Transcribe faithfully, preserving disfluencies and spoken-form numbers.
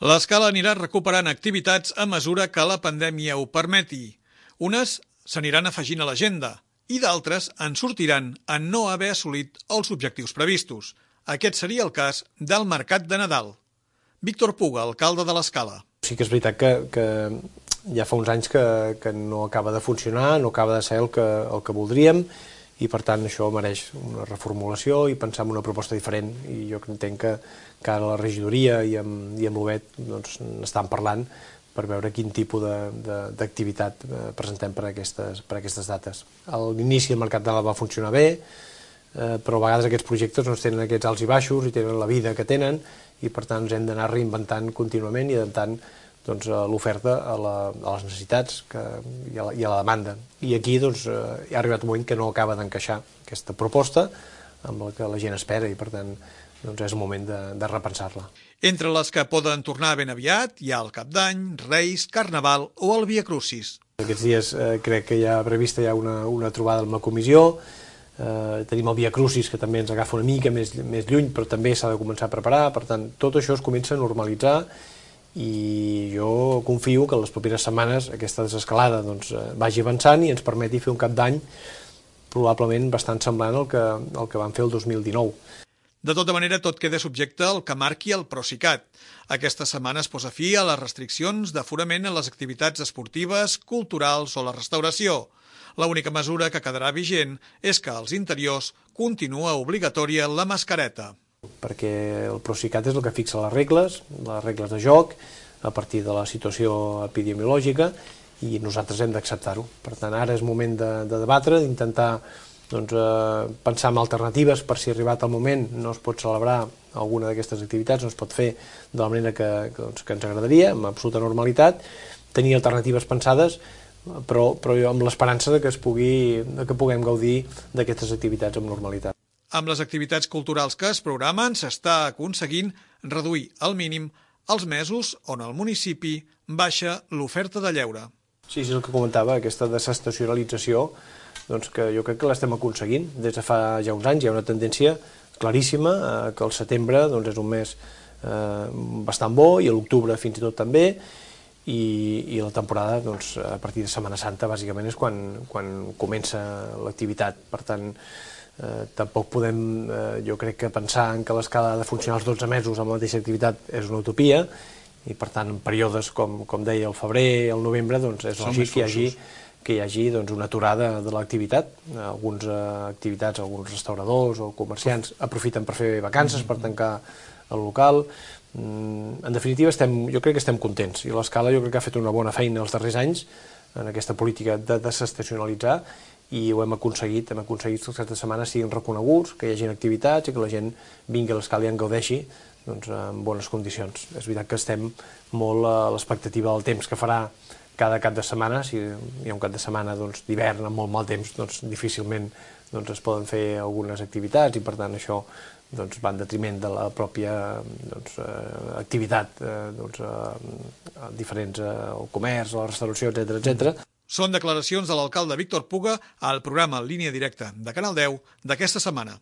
L'Escala anirà recuperant activitats a mesura que la pandèmia ho permeti. Unes s'aniran afegint a l'agenda i d'altres en sortiran en no haver assolit els objectius previstos. Aquest seria el cas del Mercat de Nadal. Víctor Puga, alcalde de l'Escala. Sí que és veritat que, que ja fa uns anys que, que no acaba de funcionar, no acaba de ser el que, el que voldríem, i per tant això mereix una reformulació i pensar en una proposta diferent. I jo entenc que, que ara la regidoria i amb, i amb l'U B E T doncs, n'estan parlant per veure quin tipus d'activitat presentem per aquestes, per aquestes dates. A l'inici el Mercat de Nadal va funcionar bé, eh, però a vegades aquests projectes doncs, tenen aquests alts i baixos i tenen la vida que tenen, i per tant ens hem d'anar reinventant contínuament i adaptant doncs, l'oferta a, la, a les necessitats que, i, a la, i a la demanda. I aquí doncs, hi ha arribat un moment que no acaba d'encaixar aquesta proposta amb la que la gent espera i per tant doncs, és el moment de, de repensar-la. Entre les que poden tornar ben aviat hi ha el Cap d'Any, Reis, Carnaval o el Via Crucis. Aquests dies eh, crec que hi ha prevista ja una, una trobada amb la comissió. Eh, tenim el Via Crucis que també ens agafa una mica més, més lluny, però també s'ha de començar a preparar. Per tant, tot això es comença a normalitzar i jo confio que en les properes setmanes aquesta desescalada doncs, vagi avançant i ens permeti fer un Cap d'Any probablement bastant semblant al que, al que vam fer el dos mil dinou. De tota manera, tot queda subjecte al que marqui el Procicat. Aquesta setmana es posa fi a les restriccions d'aforament en les activitats esportives, culturals o la restauració. L'única mesura que quedarà vigent és que als interiors continua obligatòria la mascareta. Perquè el Procicat és el que fixa les regles, les regles de joc, a partir de la situació epidemiològica, i nosaltres hem d'acceptar-ho. Per tant, ara és moment de, de debatre, d'intentar doncs, eh, pensar en alternatives per si arribat el moment no es pot celebrar alguna d'aquestes activitats, no es pot fer de la manera que, que, doncs, que ens agradaria, amb absoluta normalitat, tenir alternatives pensades, però, però amb l'esperança de que, es pugui, de que puguem gaudir d'aquestes activitats amb normalitat. Amb les activitats culturals que es programen s'està aconseguint reduir al mínim els mesos on el municipi baixa l'oferta de lleure. Sí, és el que comentava, aquesta desestacionalització, doncs que jo crec que l'estem aconseguint. Des de fa ja uns anys hi ha una tendència claríssima eh, que el setembre doncs, és un mes eh, bastant bo i l'octubre fins i tot també, i, i la temporada doncs, a partir de Setmana Santa bàsicament és quan, quan comença l'activitat. Per tant, eh, tampoc podem, eh, jo crec que pensar en que l'escala ha de funcionar els dotze mesos amb la mateixa activitat és una utopia, i per tant en períodes com, com deia el febrer, el novembre, doncs és lògic que hi hagi, que hi hagi doncs, una aturada de l'activitat. Algunes eh, activitats, alguns restauradors o comerciants aprofiten per fer vacances, per tancar el local. Mm, en definitiva, estem, jo crec que estem contents, i l'Escala jo crec que ha fet una bona feina els darrers anys en aquesta política de desestacionalitzar, i ho hem aconseguit, hem aconseguit que aquestes setmanes siguin reconeguts, que hi hagi activitats i que la gent vingui a l'Escala i en gaudeixi doncs, en bones condicions. És veritat que estem molt a l'expectativa del temps que farà cada cap de setmana. Si hi ha un cap de setmana doncs, d'hivern amb molt mal temps, doncs, difícilment doncs, es poden fer algunes activitats, i per tant això doncs, va en detriment de la pròpia doncs, eh, activitat, eh, doncs, eh, diferents, eh, el comerç, la restauració, etcètera, etcètera. Són declaracions de l'alcalde Víctor Puga al programa Línia Directa de Canal deu d'aquesta setmana.